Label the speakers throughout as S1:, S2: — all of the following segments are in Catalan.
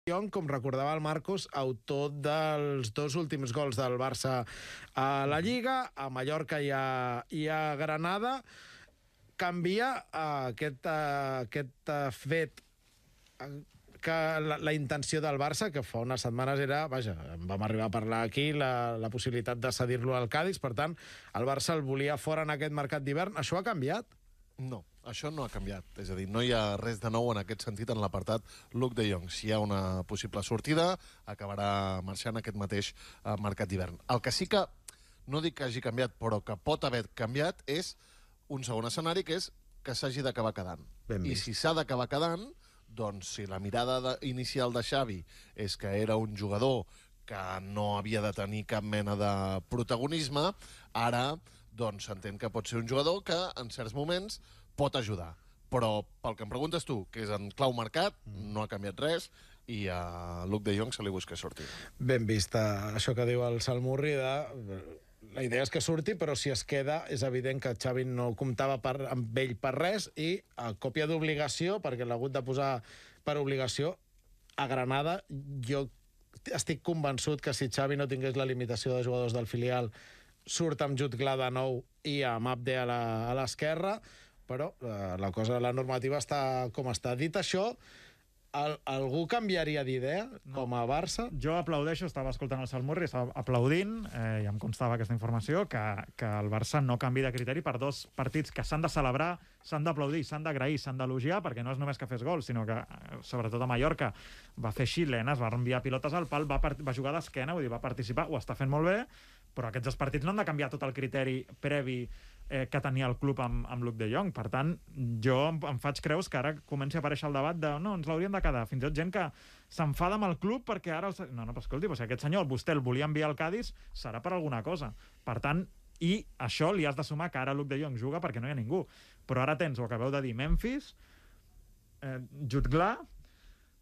S1: Jong, com recordava el Marcos, autor dels 2 últims gols del Barça a la Lliga, a Mallorca i a Granada. Canvia aquest fet que la intenció del Barça, que fa unes setmanes era, vaja, vam arribar a parlar aquí, la possibilitat de cedir-lo al Cádiz. Per tant, el Barça el volia fora en aquest mercat d'hivern. Això ha canviat?
S2: No, això no ha canviat. És a dir, no hi ha res de nou en aquest sentit en l'apartat Luuk de Jong. Si hi ha una possible sortida, acabarà marxant aquest mateix mercat d'hivern. El que sí que, no dic que hagi canviat, però que pot haver canviat, és un segon escenari, que és que s'hagi d'acabar quedant. I si s'ha d'acabar quedant, doncs si la mirada inicial de Xavi és que era un jugador que no havia de tenir cap mena de protagonisme, ara doncs s'entén que pot ser un jugador que en certs moments pot ajudar. Però pel que em preguntes tu, que és en clau mercat, no ha canviat res i a Luuk de Jong se li busca sortir.
S1: Ben vist això que diu el Salmurri de... La idea és que surti, però si es queda és evident que Xavi no comptava amb ell per res i a còpia d'obligació, perquè l'ha hagut de posar per obligació, a Granada. Jo estic convençut que si Xavi no tingués la limitació de jugadors del filial, surt amb Jutgla de nou i amb Abde a l'esquerra, però la normativa està com està. Dit això, algú canviaria d'idea com a Barça?
S3: Jo aplaudeixo, estava escoltant el Salmurri, estava aplaudint, i em constava aquesta informació, que el Barça no canvi de criteri per 2 partits que s'han de celebrar, s'han d'aplaudir, s'han d'agrair, s'han d'elogiar, perquè no és només que fes gols, sinó que, sobretot a Mallorca, va fer xilenes, va enviar pilotes al pal, va jugar d'esquena, vull dir, va participar, ho està fent molt bé, però aquests 2 partits no han de canviar tot el criteri previ que tenia el club amb Luuk de Jong. Per tant, jo em faig creus que ara comenci a aparèixer el debat de no, ens l'hauríem de quedar. Fins i tot gent que s'enfada amb el club perquè ara... No, però escolti, si aquest senyor, vostè el volia enviar al Cádiz, serà per alguna cosa. Per tant, i això li has de sumar que ara Luuk de Jong juga perquè no hi ha ningú. Però ara tens, ho acabeu de dir, Memphis, Jutgla,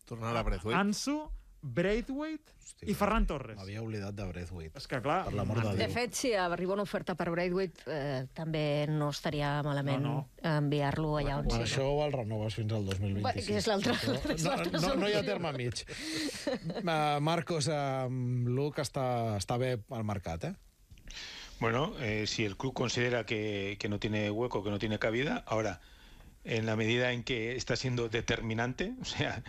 S2: tornarà Braithwaite,
S3: Ansu, Braithwaite i Ferran Torres.
S1: M'havia oblidat de Braithwaite.
S3: És que, clar...
S1: Per l'amor de Déu.
S4: De fet, si arriba una oferta per Braithwaite, també no estaria malament enviar-lo allà on sigui.
S1: Això el renoves fins al 2026.
S4: Que és l'altre.
S1: No hi ha terme mig. Marcos, Luuk està bé al mercat, eh?
S5: Bueno, si el club considera que no tiene hueco, que no tiene cabida, ahora, en la medida en que está siendo determinante, o sea,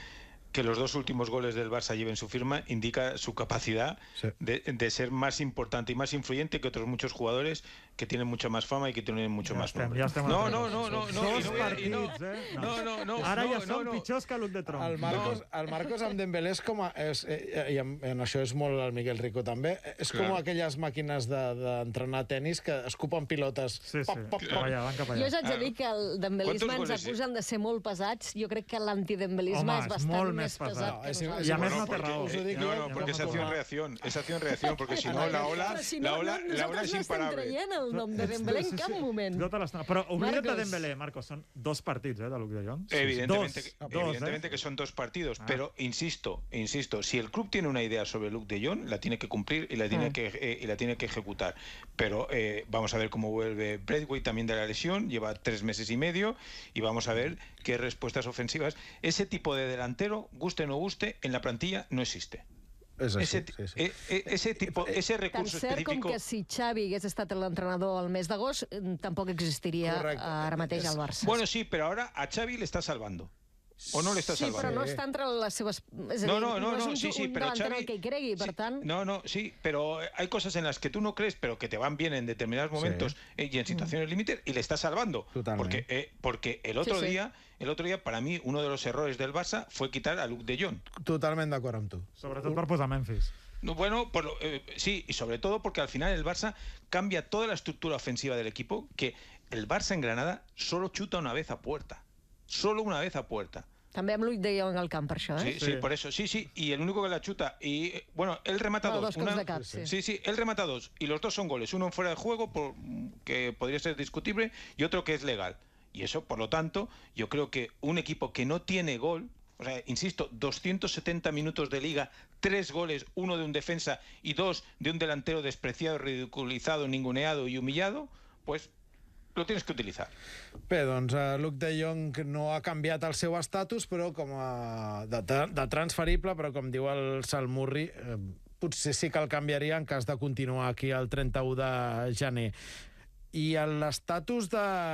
S5: que los 2 últimos goles del Barça lleven su firma, indica su capacidad de ser más importante y más influyente que otros muchos jugadores que tienen mucha más fama y que tienen mucho más nombre. No.
S3: Ara ja són pitjors que Luuk de Jong.
S1: El Marcos amb Dembélé és com... I en això és molt el Miguel Rico també. És com aquelles màquines d'entrenar tenis que escupen pilotes.
S3: Sí, van cap allà.
S4: Jo us haig de dir que el dembelisme ens acusen de ser molt pesats. Jo crec que l'antidembelisme és bastant més pesat que nosaltres.
S3: I a més no té raó.
S5: No, porque es acción-reacción, porque si no la ola es imparable.
S4: Nosaltres no estem traient el nom de Dembélé en cap moment.
S3: Però oblida't de Dembélé, Marcos, són 2 partits de Luuk de Jong.
S5: Evidentemente que son 2 partidos, pero insisto, si el club tiene una idea sobre Luuk de Jong, la tiene que cumplir y la tiene que ejecutar. Pero vamos a ver cómo vuelve Braithwaite también de la lesión, lleva 3 meses y medio, y vamos a ver qué respuestas ofensivas. Ese tipo de delantero, guste o no guste, en la plantilla no existe. Ese recurso
S4: específico... Tan cert com que si Xavi hagués estat l'entrenador al mes d'agost, tampoc existiria ara mateix al Barça.
S5: Bueno, sí, pero ahora a Xavi le está salvando. ¿O no le está salvando?
S4: Sí, però no està entre les seves... És a dir, no és un delantero que hi cregui, per tant...
S5: Sí, pero hay cosas en las que tú no crees, pero que te van bien en determinados momentos y en situaciones límite, y le está salvando. Porque el otro día, para mí, uno de los errores del Barça fue quitar a Luuk de Jong.
S1: Totalment d'acord amb tu.
S3: Sobretot per posar Memphis.
S5: Bueno, sí, y sobre todo porque al final el Barça cambia toda la estructura ofensiva del equipo, que el Barça en Granada solo chuta una vez a puerta. Solo una vez a puerta.
S4: També amb Luuk de Jong al camp, per això, eh?
S5: Sí, por eso. Sí, y el único que la chuta. Y bueno, él remata 2. Sí, él remata 2. Y los 2 son goles. Uno en fuera de juego, que podría ser discutible, y otro que es legal. Y eso, por lo tanto, yo creo que un equipo que no tiene gol, o sea, insisto, 270 minutos de liga, 3 goles, 1 de un defensa y 2 de un delantero despreciado, ridiculizado, ninguneado y humillado, pues lo tienes que utilizar.
S1: Bé, doncs Luke de Jong no ha canviat el seu estatus, però de transferible, però com diu el Salmurri, potser sí que el canviaria en cas de continuar aquí el 31 de gener. I l'estatus de